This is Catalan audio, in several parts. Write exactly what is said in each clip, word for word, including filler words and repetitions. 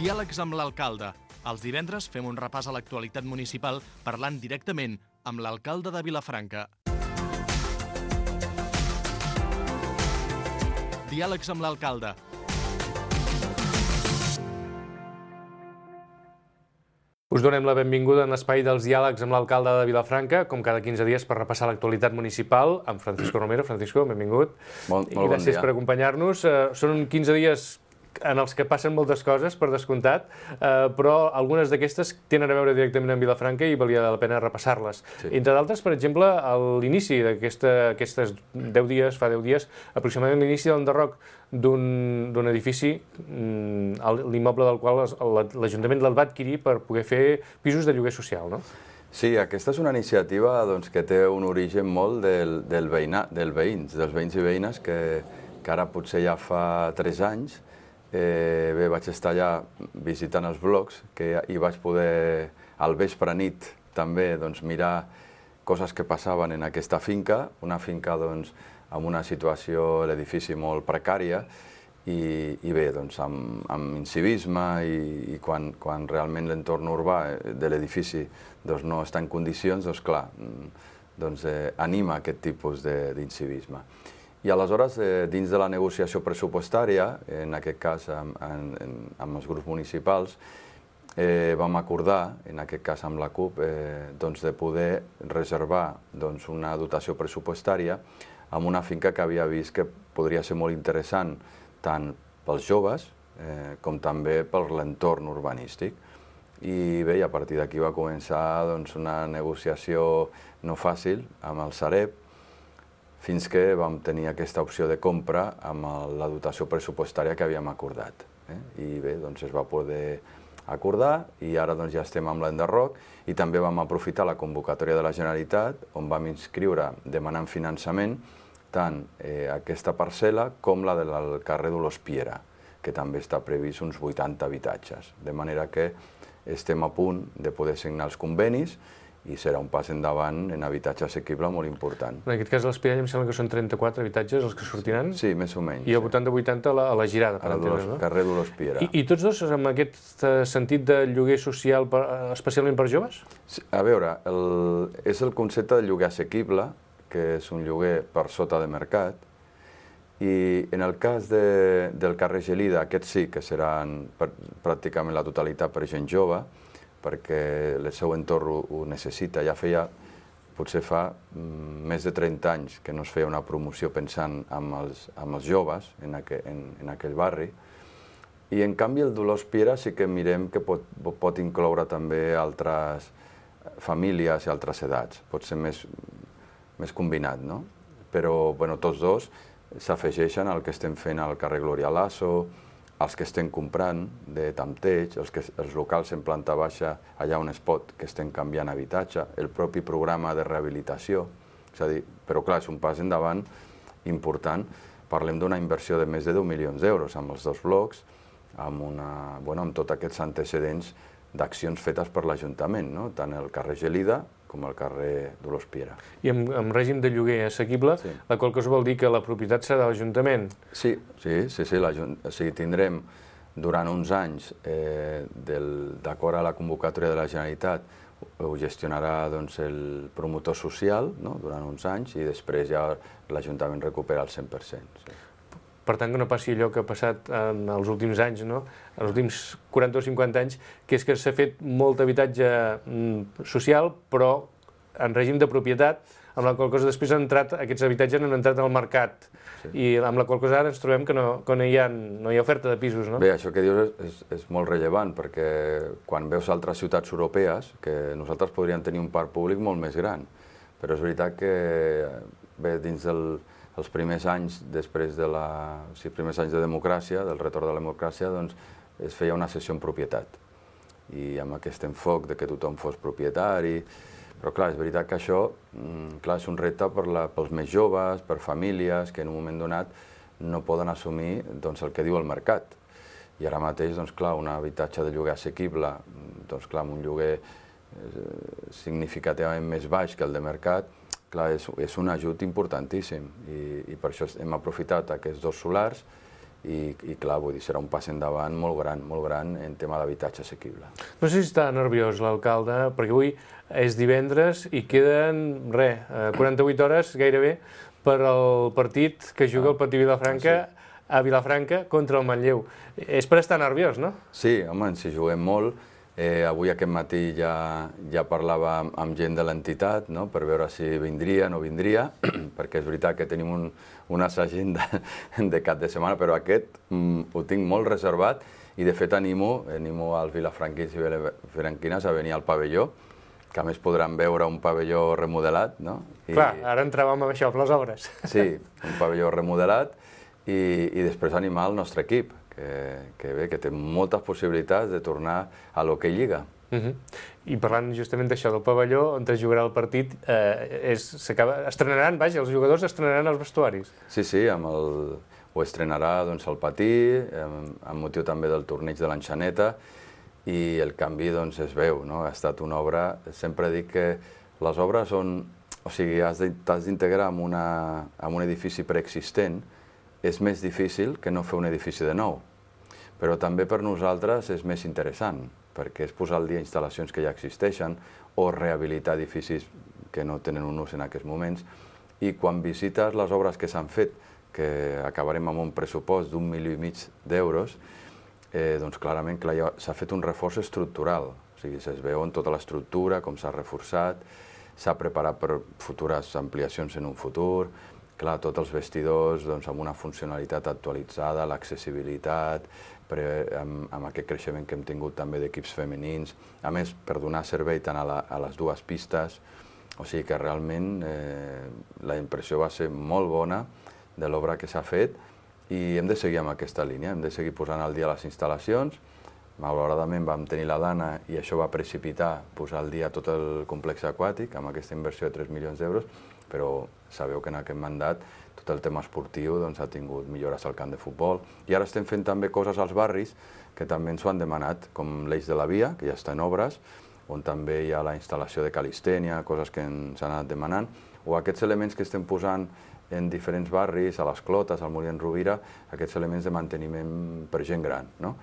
Diàlegs amb l'alcalde. Els divendres fem un repàs a l'actualitat municipal parlant directament amb l'alcalde de Vilafranca. Diàlegs amb l'alcalde. Us donem la benvinguda en l'espai dels diàlegs amb l'alcalde de Vilafranca, com cada quinze dies per repassar l'actualitat municipal, amb Francisco Romero. Francisco, benvingut. Molt, molt bon dia. Gràcies per acompanyar-nos. Són quinze dies en els que passen moltes coses, per descomptat, però algunes d'aquestes tenen a veure directament amb Vilafranca i valia la pena repassar-les. Sí. Entre d'altres, per exemple, a l'inici d'aquestes deu dies, fa deu dies, aproximadament l'inici de l'enderroc d'un edifici, l'immoble del qual l'Ajuntament el va adquirir per poder fer pisos de lloguer social, no? Sí, aquesta és una iniciativa doncs, que té un origen molt del, del, veïna, del veïns, dels veïns i veïnes, que, que ara potser ja fa tres anys. Eh, bé, vaig estar allà visitant els blocs, que hi vaig poder, al vespre nit, també doncs, mirar coses que passaven en aquesta finca, una finca doncs, amb una situació, l'edifici molt precària, i, i bé, doncs, amb, amb incivisme, i, i quan, quan realment l'entorn urbà de l'edifici doncs, no està en condicions, doncs clar, doncs, eh, anima aquest tipus d'incivisme. I aleshores, eh, dins de la negociació pressupostària, en aquest cas amb, amb, amb els grups municipals, eh, vam acordar, en aquest cas amb la CUP, eh, doncs de poder reservar doncs, una dotació pressupostària amb una finca que havia vist que podria ser molt interessant tant pels joves eh, com també per l'entorn urbanístic. I bé, a partir d'aquí va començar doncs, una negociació no fàcil amb el Sareb, fins que vam tenir aquesta opció de compra amb la dotació pressupostària que havíem acordat. Eh? I bé, doncs es va poder acordar i ara doncs, ja estem amb l'enderroc i també vam aprofitar la convocatòria de la Generalitat on vam inscriure demanant finançament tant eh, aquesta parcel·la com la del carrer Dolors Piera, que també està previst uns vuitanta habitatges. De manera que estem a punt de poder signar els convenis i serà un pas endavant en habitatge assequible molt important. En aquest cas, a l'Espirall em sembla que són trenta-quatre habitatges els que sortiran? Sí, més o menys. I al voltant de vuitanta a la, a la Girada, per entendre, no? Carrer Dolors Piera. I, I tots dos amb aquest sentit de lloguer social per, especialment per joves? Sí, a veure, el, és el concepte de lloguer assequible, que és un lloguer per sota de mercat, i en el cas de, del carrer Gelida, aquests sí que seran per, pràcticament la totalitat per gent jove, perquè el seu entorn ho, ho necessita. Ja feia, potser fa mm, més de trenta anys que no es feia una promoció pensant en els, en els joves en, aqu en, en aquell barri. I en canvi el Dolors Piera sí que mirem que pot, pot incloure també altres famílies i altres edats. Pot ser més, més combinat, no? Però bueno, tots dos s'afegeixen al que estem fent al carrer Gloria Lasso, els que estem comprant de tanteig, els, que, els locals en planta baixa, allà on es pot, que estem canviant habitatge, el propi programa de rehabilitació. És a dir, però clar, és un pas endavant important. Parlem d'una inversió de més de deu milions d'euros amb els dos blocs, amb, una, bueno, amb tots aquests antecedents d'accions fetes per l'Ajuntament, no? Tant el carrer Gelida com el carrer Dolors Piera. I amb, amb règim de lloguer assequible, sí. La qual cosa vol dir que la propietat serà de l'Ajuntament? Sí, sí, sí, sí o sigui, tindrem durant uns anys, eh, d'acord a la convocatòria de la Generalitat, ho gestionarà doncs, el promotor social, no? Durant uns anys, i després ja l'Ajuntament recupera el cent per cent. Sí. Per tant, que no passi allò que ha passat en els últims anys, no? En els últims quaranta o cinquanta anys, que és que s'ha fet molt habitatge social, però en règim de propietat, amb la qual cosa després han entrat, aquests habitatges han entrat al mercat, sí. I amb la qual cosa ara ens trobem que no, que no, hi, ha, no hi ha oferta de pisos, no? Bé, això que dius és, és, és molt rellevant, perquè quan veus altres ciutats europees, que nosaltres podríem tenir un parc públic molt més gran, però és veritat que bé, dins del els primers anys després de la, o sigui, primers anys de democràcia, del retorn de la democràcia, doncs es feia una cessió en propietat. I amb aquest enfoc de que tothom fos propietari. Però clar, és veritat que això clar, és un repte per la, pels més joves, per famílies que en un moment donat no poden assumir doncs, el que diu el mercat. I ara mateix, doncs, clar, un habitatge de lloguer assequible, doncs, clar, amb un lloguer significativament més baix que el de mercat, clar, és, és un ajut importantíssim i, i per això hem aprofitat aquests dos solars i, i clar, vull dir, serà un pas endavant molt gran, molt gran en tema d'habitatge assequible. No sé si està nerviós l'alcalde, perquè avui és divendres i queden, res, quaranta-vuit hores gairebé per al partit que juga el Patí Vilafranca ah, sí. a Vilafranca contra el Manlleu. És per estar nerviós, no? Sí, home, ens hi juguem molt. Eh, avui aquest matí ja, ja parlava amb, amb gent de l'entitat, no?, per veure si vindria o no vindria, perquè és veritat que tenim un, un assagent de, de cap de setmana, però aquest mm, ho tinc molt reservat i de fet animo, animo als vilafranquins i vilafranquines a venir al pavelló, que a més podran veure un pavelló remodelat, no? I... Clar, ara entràvem amb això, amb les obres. Sí, un pavelló remodelat i, i després animar el nostre equip, que, que bé, que té moltes possibilitats de tornar a l'hoquei lliga. Uh-huh. I parlant justament d'això, del pavelló on es jugarà el partit, eh, és, estrenaran, vaja, els jugadors estrenaran els vestuaris. Sí, sí, amb el, ho estrenarà doncs, el Patí, amb, amb motiu també del torneig de l'Enxaneta, i el canvi doncs, es veu, no? Ha estat una obra, sempre dic que les obres són, o sigui, has d'integrar en, una, en un edifici preexistent, és més difícil que no fer un edifici de nou, però també per nosaltres és més interessant, perquè és posar al dia instal·lacions que ja existeixen o rehabilitar edificis que no tenen un ús en aquests moments, i quan visites les obres que s'han fet, que acabarem amb un pressupost d'un milió i mig d'euros, eh, doncs clarament s'ha fet un reforç estructural, o sigui, es veu en tota l'estructura, com s'ha reforçat, s'ha preparat per futures ampliacions en un futur. Clar, tots els vestidors doncs, amb una funcionalitat actualitzada, l'accessibilitat, amb, amb aquest creixement que hem tingut també d'equips femenins, a més, per donar servei tant a, la, a les dues pistes, o sigui que realment eh, la impressió va ser molt bona de l'obra que s'ha fet i hem de seguir amb aquesta línia, hem de seguir posant al dia les instal·lacions. Malauradament vam tenir la dana i això va precipitar posar al dia tot el complex aquàtic amb aquesta inversió de tres milions d'euros, però sabeu que en aquest mandat tot el tema esportiu doncs, ha tingut millores al camp de futbol. I ara estem fent també coses als barris que també ens ho han demanat, com l'Eix de la Via, que ja està en obres, on també hi ha la instal·lació de calistènia, coses que ens han anat demanant, o aquests elements que estem posant en diferents barris, a les Clotes, al Molí en Rovira, aquests elements de manteniment per gent gran, no?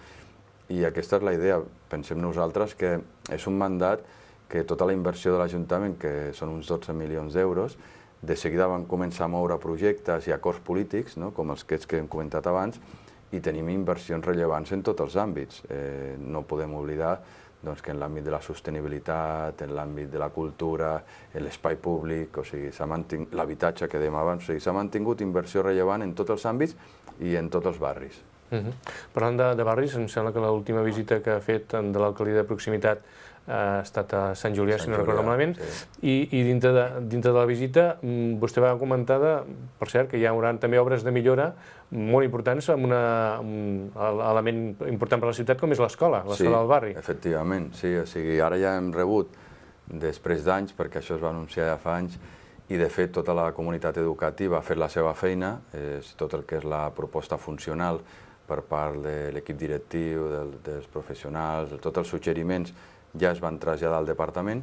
I aquesta és la idea. Pensem nosaltres que és un mandat que tota la inversió de l'Ajuntament, que són uns dotze milions d'euros, de seguida van començar a moure projectes i acords polítics, no?, com els que hem comentat abans, i tenim inversions rellevants en tots els àmbits. Eh, no podem oblidar doncs, que en l'àmbit de la sostenibilitat, en l'àmbit de la cultura, en l'espai públic, o sigui, s'ha mantingut l'habitatge que dèiem abans, o sigui, s'ha mantingut inversió rellevant en tots els àmbits i en tots els barris. Uh-huh. Parlant de, de barris, em sembla que l'última visita que ha fet de l'alcaldia de proximitat ha estat a Sant Julià, si no recordo malament, sí. I, i dintre, de, dintre de la visita vostè va comentar, de, per cert, que hi haurà també obres de millora molt importants amb una, un element important per a la ciutat com és l'escola, l'escola sí, del barri. Efectivament, sí, o sigui, ara ja hem rebut, després d'anys, perquè això es va anunciar ja fa anys, i de fet tota la comunitat educativa ha fet la seva feina, és tot el que és la proposta funcional per part de l'equip directiu, del, dels professionals, de tots els suggeriments ja es van traslladar al departament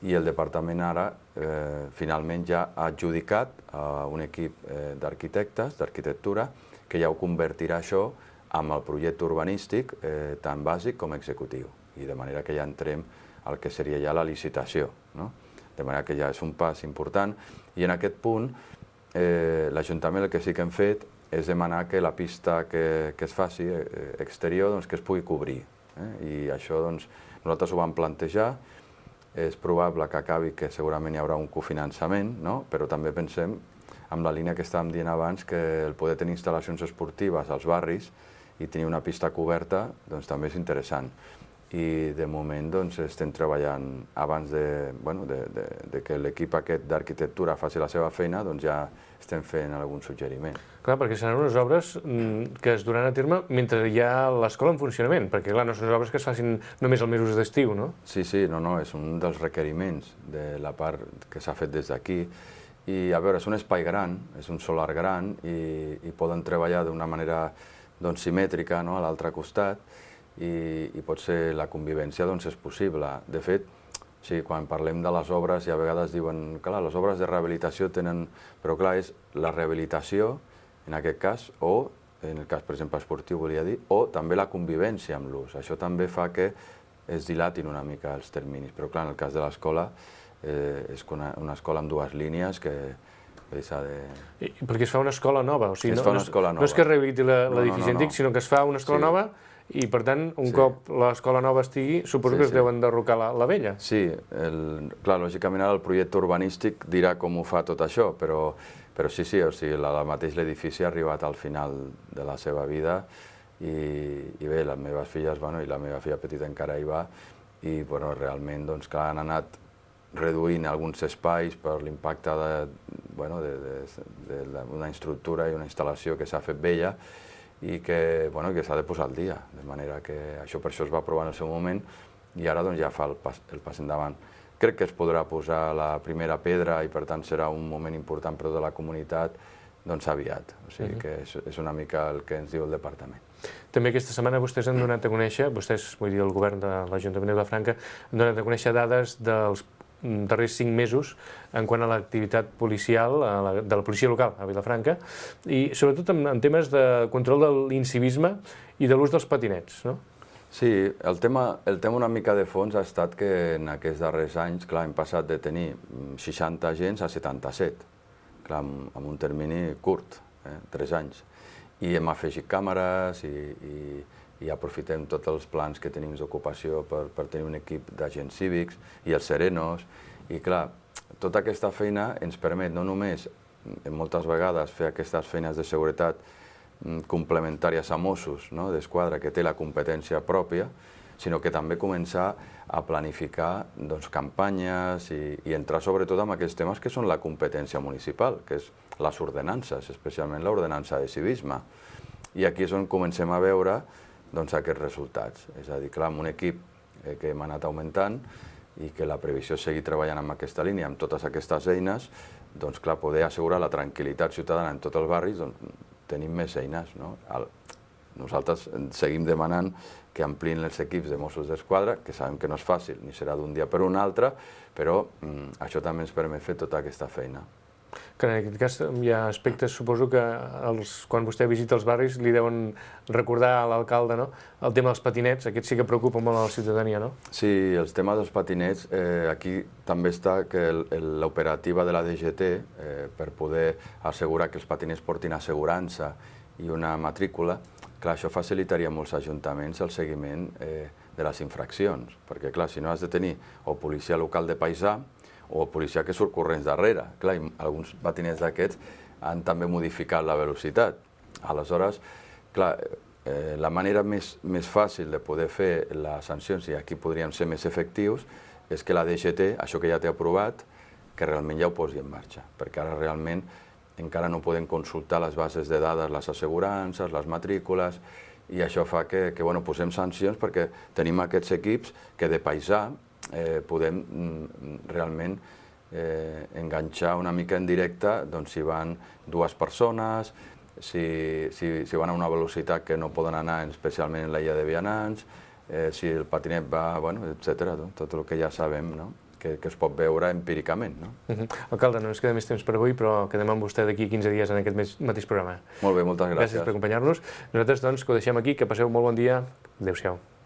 i el departament ara eh, finalment ja ha adjudicat a un equip eh, d'arquitectes, d'arquitectura, que ja ho convertirà això amb el projecte urbanístic eh, tant bàsic com executiu. I de manera que ja entrem al que seria ja la licitació, no? De manera que ja és un pas important. I en aquest punt eh, l'Ajuntament el que sí que hem fet és demanar que la pista que, que es faci eh, exterior doncs, que es pugui cobrir. Eh? I això doncs, nosaltres ho vam plantejar, és probable que acabi que segurament hi haurà un cofinançament, no? Però també pensem, amb la línia que estàvem dient abans, que el poder tenir instal·lacions esportives als barris i tenir una pista coberta doncs, també és interessant. I de moment doncs, estem treballant, abans de, bueno, de, de, de que l'equip aquest d'arquitectura faci la seva feina, doncs ja estem fent algun suggeriment. Clar, perquè seran unes obres que es duran a terme mentre hi ha l'escola en funcionament, perquè clar, no són obres que es facin només als mesos d'estiu, no? Sí, sí, no, no, és un dels requeriments de la part que s'ha fet des d'aquí. I a veure, és un espai gran, és un solar gran i, i poden treballar d'una manera doncs, simètrica, no?, a l'altre costat, i, i potser la convivència doncs, és possible. De fet, sí, quan parlem de les obres i a vegades diuen clar, les obres de rehabilitació tenen... Però clar, és la rehabilitació, en aquest cas, o en el cas, per exemple, esportiu, volia dir, o també la convivència amb l'ús. Això també fa que es dilatin una mica els terminis, però clar, en el cas de l'escola, eh, és una, una escola amb dues línies que s'ha de... I, perquè es fa una escola nova, o sigui, es no, fa una no, escola nova. No és que es rehabiliti l'edifici no, no, no, antic, no. sinó que es fa una escola sí. nova i, per tant, un sí. cop l'escola nova estigui, suposo sí, que es sí. deu enderrocar la, la vella. Sí, el, clar, lògicament ara el projecte urbanístic dirà com ho fa tot això, però, però sí, sí, o sigui, el mateix l'edifici ha arribat al final de la seva vida i, i bé, les meves filles, bueno, i la meva filla petita encara hi va, i bueno, realment, doncs, clar, han anat reduint alguns espais per l'impacte de, bueno, de, de, d'una estructura i una instal·lació que s'ha fet vella i que, bueno, que s'ha de posar al dia, de manera que això per això es va aprovar en el seu moment i ara doncs, ja fa el pas, el pas endavant. Crec que es podrà posar la primera pedra i per tant serà un moment important per tota la comunitat doncs aviat, o sigui uh-huh. que és, és una mica el que ens diu el departament. També aquesta setmana vostès han donat a conèixer, vostès, vull dir, el govern de l'Ajuntament de Vilafranca, han donat a conèixer dades dels darrers cinc mesos en quant a l'activitat policial de la policia local a Vilafranca i sobretot en, en temes de control de l'incivisme i de l'ús dels patinets, no? Sí, el tema, el tema una mica de fons ha estat que en aquests darrers anys, clar, hem passat de tenir seixanta agents a setanta-set, clar, amb, amb un termini curt, eh, tres anys, i hem afegit càmeres i, i, i aprofitem tots els plans que tenim d'ocupació per, per tenir un equip d'agents cívics i els serenos. I clar, tota aquesta feina ens permet no només, moltes vegades, fer aquestes feines de seguretat complementàries a Mossos, no? d'Esquadra, que té la competència pròpia, sinó que també començar a planificar doncs, campanyes i, i entrar sobretot en aquests temes que són la competència municipal, que és les ordenances, especialment l'ordenança de civisme. I aquí és on comencem a veure doncs, aquests resultats. És a dir, clar, amb un equip eh, que hem anat augmentant i que la previsió és seguir treballant amb aquesta línia, amb totes aquestes eines, doncs, clar, poder assegurar la tranquil·litat ciutadana en tots els barris, doncs, tenim més eines. No? El, nosaltres seguim demanant que amplin els equips de Mossos d'Esquadra, que sabem que no és fàcil, ni serà d'un dia per un altre, però mm, això també ens permet fer tota aquesta feina. Que en aquest cas hi ha aspectes, suposo que els, quan vostè visita els barris li deuen recordar a l'alcalde, no? El tema dels patinets, aquest sí que preocupa molt a la ciutadania, no? Sí, els temes dels patinets, eh, aquí també està que l'operativa de la D G T, eh, per poder assegurar que els patinets portin assegurança i una matrícula, clar, això facilitaria a molts ajuntaments el seguiment eh, de les infraccions, perquè clar, si no has de tenir o policia local de paisà, o policia que surt corrents darrere. Clar, alguns patinets d'aquests han també modificat la velocitat. Aleshores, clar, eh, la manera més, més fàcil de poder fer les sancions, i aquí podríem ser més efectius, és que la D G T, això que ja té aprovat, que realment ja ho posi en marxa, perquè ara realment encara no podem consultar les bases de dades, les assegurances, les matrícules, i això fa que, que bueno, posem sancions perquè tenim aquests equips que de paisà Eh, podem mm, realment eh, enganxar una mica en directe doncs, si van dues persones, si, si, si van a una velocitat que no poden anar, especialment en la illa de vianants, eh, si el patinet va, bueno, etcètera, tot el que ja sabem, no? que, que es pot veure empíricament. No? Uh-huh. Alcalde, no ens queda més temps per avui, però quedem amb vostè d'aquí quinze dies en aquest mateix programa. Molt bé, moltes gràcies. Gràcies per acompanyar-nos. Nosaltres, doncs, que ho deixem aquí, que passeu molt bon dia. Adéu-siau.